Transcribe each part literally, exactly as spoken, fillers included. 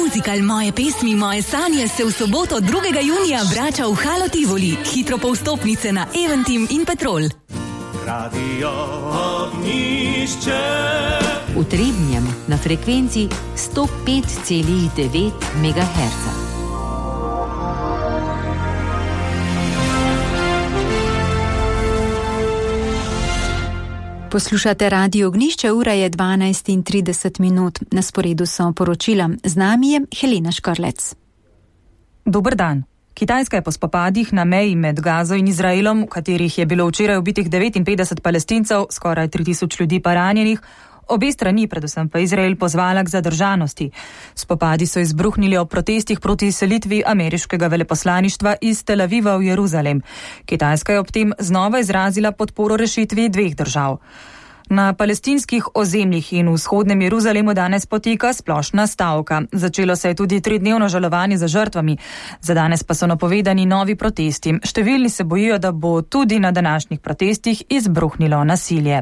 Muzikal Moje pesmi, moje sanje se v soboto drugega junija vrača v Halo Tivoli. Hitro po vstopnice na Eventim in Petrol. Radio Ognjišče. V Trebnjem na frekvenci sto pet celih devet megaherca. Poslušate Radio Ognjišče, ura je dvanajst in trideset minut. Na sporedu so poročila. Z nami je Helena Škrlec. Dober dan. Kitajska je po spopadih na meji med Gazo in Izraelom, v katerih je bilo včeraj ubitih devetinpetdeset Palestincev, skoraj tri tisoč ljudi pa ranjenih, obe strani, predvsem pa Izrael, pozvala k zadržanosti. Spopadi so izbruhnili ob protestih proti selitvi ameriškega veleposlaništva iz Tel Aviva v Jeruzalem. Kitajska je ob tem znova izrazila podporo rešitvi dveh držav. Na palestinskih ozemljih in v vzhodnem Jeruzalemu danes poteka splošna stavka. Začelo se je tudi tridnevno žalovanje za žrtvami. Za danes pa so napovedani novi protesti. Številni se bojijo, da bo tudi na današnjih protestih izbruhnilo nasilje.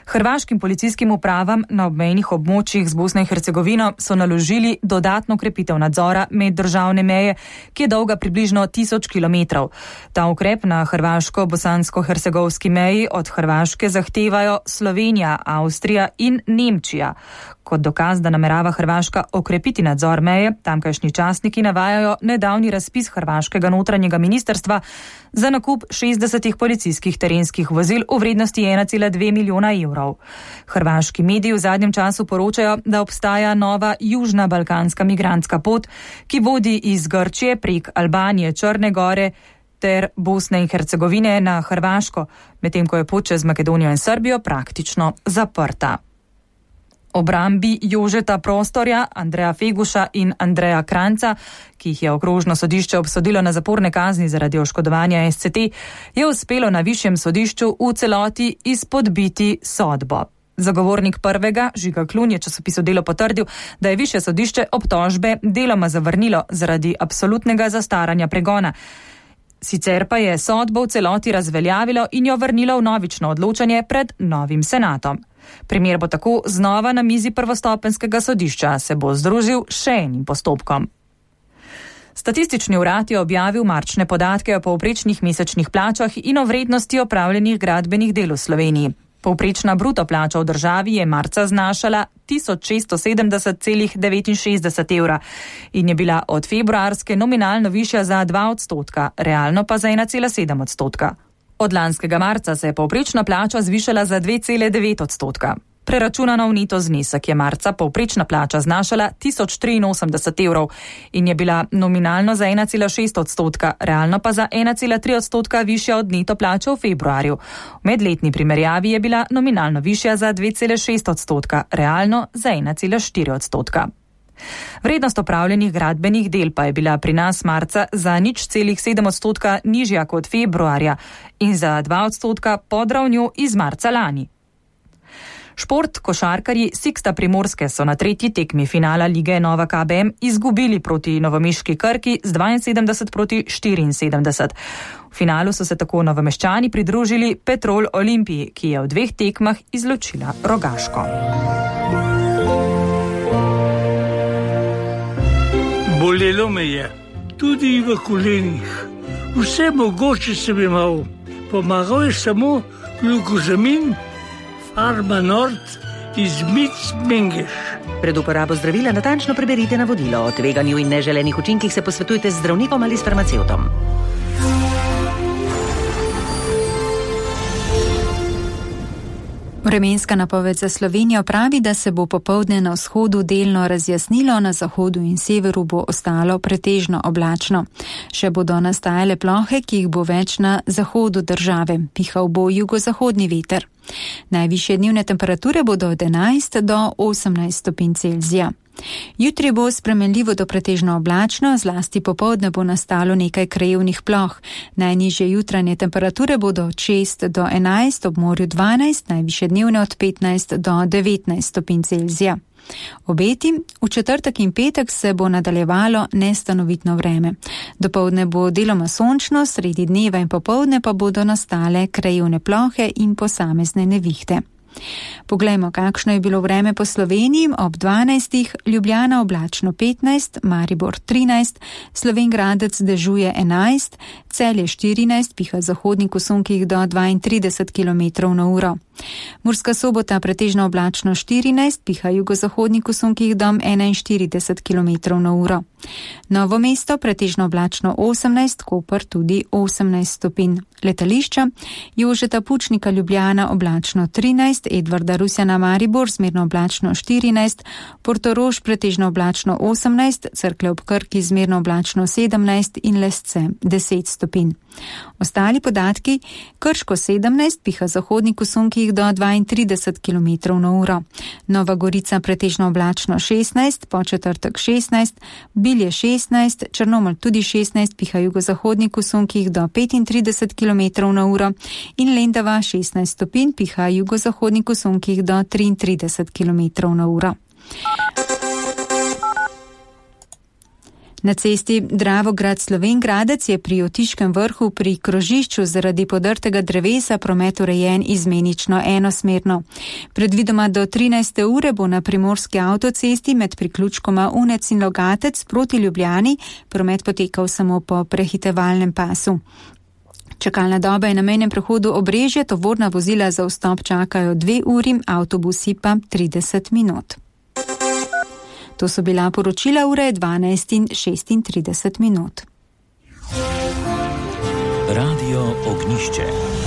Hrvaškim policijskim upravam na obmejnih območjih z Bosno in Hercegovino so naložili dodatno krepitev nadzora meddržavne meje, ki je dolga približno tisoč kilometrov. Ta ukrep na hrvaško-bosansko-hercegovski meji od Hrvaške zahtevajo Slovenija, Avstrija in Nemčija. Kot dokaz, da namerava Hrvaška okrepiti nadzor meje, tamkajšnji časniki navajajo nedavni razpis hrvaškega notranjega ministrstva za nakup šestdesetih policijskih terenskih vozil v vrednosti ena cela dve milijona evrov. Hrvaški mediji v zadnjem času poročajo, da obstaja nova južna balkanska migrantska pot, ki vodi iz Grčije prek Albanije, Črne gore ter Bosne in Hercegovine na Hrvaško, medtem ko je pot čez Makedonijo in Srbijo praktično zaprta. Obrambi Jožeta Prostorja, Andreja Feguša in Andreja Kranca, ki jih je okrožno sodišče obsodilo na zaporne kazni zaradi oškodovanja S C T, je uspelo na višjem sodišču v celoti izpodbiti sodbo. Zagovornik prvega, Žiga Klun, je časopisu Delo potrdil, da je višje sodišče obtožbe deloma zavrnilo zaradi absolutnega zastaranja pregona. Sicer pa je sodbo v celoti razveljavilo in jo vrnilo v novično odločanje pred novim senatom. Primer bo tako znova na mizi prvostopenjskega sodišča, se bo združil še enim postopkom. Statistični urad je objavil marčne podatke o povprečnih mesečnih plačah in o vrednosti opravljenih gradbenih del v Sloveniji. Povprečna bruto plača v državi je marca znašala tisoč šeststo sedemdeset celih devetinšestdeset evra in je bila od februarske nominalno višja za dva odstotka, realno pa za ena cela sedem odstotka. Od lanskega marca se je povprečna plača zvišala za dve cela devet odstotka. Preračunano v neto znesek je marca povprečna plača znašala tisoč triinosemdeset evrov in je bila nominalno za ena cela šest odstotka, realno pa za ena cela tri odstotka višja od neto plače v februarju. V medletni primerjavi je bila nominalno višja za dve cela šest odstotka, realno za ena cela štiri odstotka. Vrednost opravljenih gradbenih del pa je bila pri nas marca za nič celih sedem odstotka nižja kot februarja in za dva odstotka pod ravnjo iz marca lani. Šport košarkarji Siksta Primorske so na tretji tekmi finala lige Nova K B M izgubili proti novomeški Krki z dvainsedemdeset proti štiriinsedemdeset. V finalu so se tako Novomeščani pridružili Petrol Olimpiji, ki je v dveh tekmah izločila Rogaško. Bolelo me je, tudi v kolenih. Vse mogoče sem imel. Pomagal je samo glukozamin, Farma Nord iz Mic Mengeš. Pred uporabo zdravila natančno preberite navodilo. O tveganju in neželenih učinkih se posvetujte z zdravnikom ali s farmacevtom. Vremenska napoved za Slovenijo pravi, da se bo popoldne na vzhodu delno razjasnilo, na zahodu in severu bo ostalo pretežno oblačno. Še bodo nastajale plohe, ki jih bo več na zahodu države. Pihal bo jugozahodni veter. Najvišje dnevne temperature bodo od enajst do osemnajst stopinj Celzija. Jutri bo spremenljivo do pretežno oblačno, zlasti popoldne bo nastalo nekaj krajevnih ploh. Najnižje jutranje temperature bodo od šest do enajst, ob morju dvanajst, najvišje dnevne od petnajst do devetnajst stopinj Celzija. Obeti, v četrtek in petek se bo nadaljevalo nestanovitno vreme. Dopoldne bo deloma sončno, sredi dneva in popoldne pa bodo nastale krajevne plohe in posamezne nevihte. Poglejmo, kakšno je bilo vreme po Sloveniji. Ob dvanajstih Ljubljana oblačno petnajst, Maribor trinajst, Slovenj Gradec dežuje enajst, Celje štirinajst, piha zahodnik v sunkih do dvaintrideset kilometrov na uro. Murska Sobota pretežno oblačno štirinajst, piha jugozahodnik v sunkih do enainštirideset kilometrov na uro. Novo mesto pretežno oblačno osemnajst, Koper tudi osemnajst stopinj. Letališča Jožeta Pučnika Ljubljana oblačno trinajst, Edvarda Rusjana Maribor zmerno oblačno štirinajst, Portorož pretežno oblačno osemnajst, Cerklje ob Krki zmerno oblačno sedemnajst in Lesce deset stopinj. Ostali podatki: Krško sedemnajst, piha zahodnik v sunkih do dvaintrideset kilometrov na uro. Nova Gorica pretežno oblačno šestnajst, Podčetrtek šestnajst, Bilje šestnajst, Črnomelj tudi šestnajst, piha jugozahodnik v sunkih do petintrideset kilometrov na uro in Lendava šestnajst stopinj, piha jugozahodnik v sunkih do triintrideset kilometrov na uro. Na cesti Dravograd-Slovenj Gradec je pri Otiškem vrhu pri krožišču zaradi podrtega drevesa promet urejen izmenično enosmerno. Predvidoma do trinajste ure bo na primorski avtocesti med priključkoma Unec in Logatec proti Ljubljani promet potekal samo po prehitevalnem pasu. Čakalna doba je na mejnem prehodu Obrežje, tovorna vozila za vstop čakajo dve uri, avtobusi pa trideset minut. To so bila poročila, ure dvanajst in šestintrideset minut. Radio Ognišče.